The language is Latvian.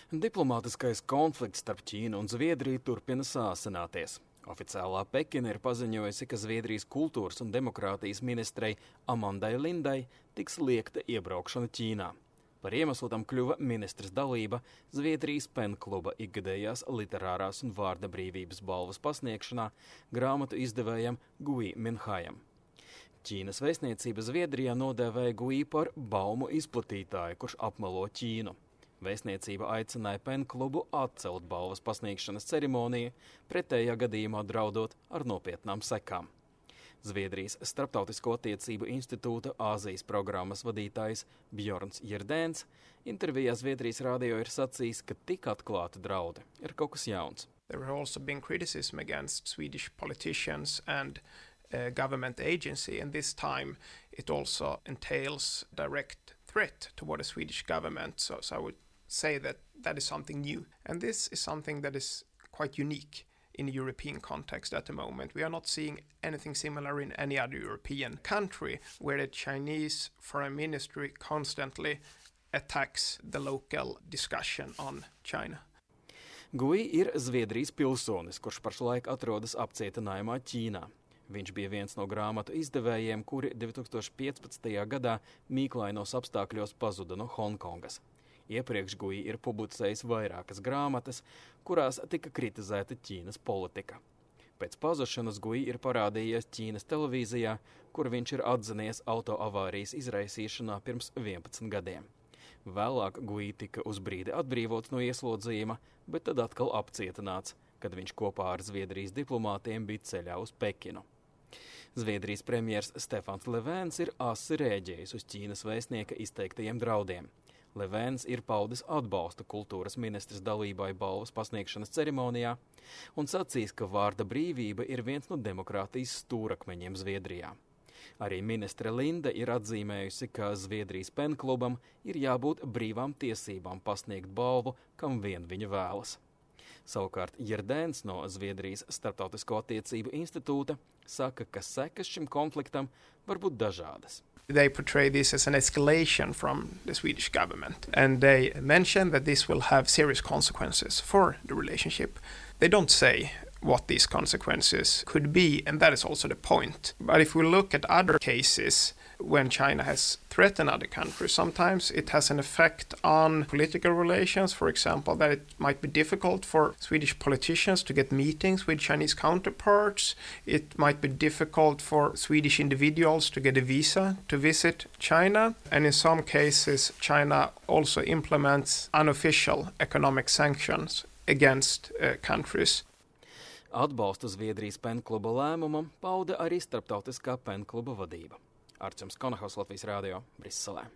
Diplomātiskais konflikts starp Ķīnu un Zviedriju turpina sāsināties. Oficiālā Pekina ir paziņojusi, ka Zviedrijas kultūras un demokrātijas ministrei Amandai Lindai tiks liekta iebraukšana Ķīnā. Par iemeslu tam kļuva ministres dalība Zviedrijas penkluba ikgadējās literārās un vārda brīvības balvas pasniegšanā grāmatu izdevējam Gui Minhajam. Ķīnas vēstniecība Zviedrijā nodēvēja Gui par baumu izplatītāju, kurš apmelo Ķīnu. Vēstniecība aicināja penklubu atcelt balvas pasniegšanas ceremoniju, pretējā gadījumā draudot ar nopietnām sekām. Zviedrijas Starptautisko attiecību institūta Āzijas programmas vadītājs Bjorns Jirdēns intervijā Zviedrijas radio ir sacījis, ka tik atklāti draudi ir kaut kas jauns. There have also been criticism against Swedish politicians and government agency, and this time it also entails direct threat toward the Swedish government. So I would say that is something new. And this is something that is quite unique in the European context at the moment. We are not seeing anything similar in any other European country where the Chinese foreign ministry constantly attacks the local discussion on China. Gui ir Zviedrijas pilsonis, kurš pašlaik atrodas apcietinājumā Ķīnā. Viņš bija viens no grāmatu izdevējiem, kuri 2015. gadā mīklainos apstākļos pazuda no Hongkongas. Iepriekš Gui ir publicējis vairākas grāmatas, kurās tika kritizēta Ķīnas politika. Pēc pazušanas Gui ir parādījies Ķīnas televīzijā, kur viņš ir atzinies autoavārijas izraisīšanā pirms 11 gadiem. Vēlāk Gui tika uz brīdi atbrīvots no ieslodzījuma, bet tad atkal apcietināts, kad viņš kopā ar Zviedrijas diplomātiem bija ceļā uz Pekinu. Zviedrijas premjers Stefans Löfvens ir asi rēģējis uz Ķīnas vēstnieka izteiktajiem draudiem. Löfvens ir paudis atbalsta kultūras ministres dalībai balvas pasniegšanas ceremonijā un sacīs, ka vārda brīvība ir viens no demokrātijas stūrakmeņiem Zviedrijā. Arī ministre Linda ir atzīmējusi, ka Zviedrijas penklubam ir jābūt brīvām tiesībām pasniegt balvu, kam vien viņa vēlas. Savukārt Jirdēns no Zviedrijas Starptautisko attiecību institūta saka, ka sekas šim konfliktam var būt dažādas. They portray this as an escalation from the Swedish government, and they mention that this will have serious consequences for the relationship. They don't say what these consequences could be, and that is also the point. But if we look at other cases when China has threatened other countries, sometimes it has an effect on political relations. For example, that it might be difficult for Swedish politicians to get meetings with Chinese counterparts. It might be difficult for Swedish individuals to get a visa to visit China. And in some cases, China also implements unofficial economic sanctions against countries. Atbalstu Zviedrijas penkluba lēmumam pauda arī Starptautiskā penkluba vadība. Arčuns Konahaus, Latvijas radio, Briselē.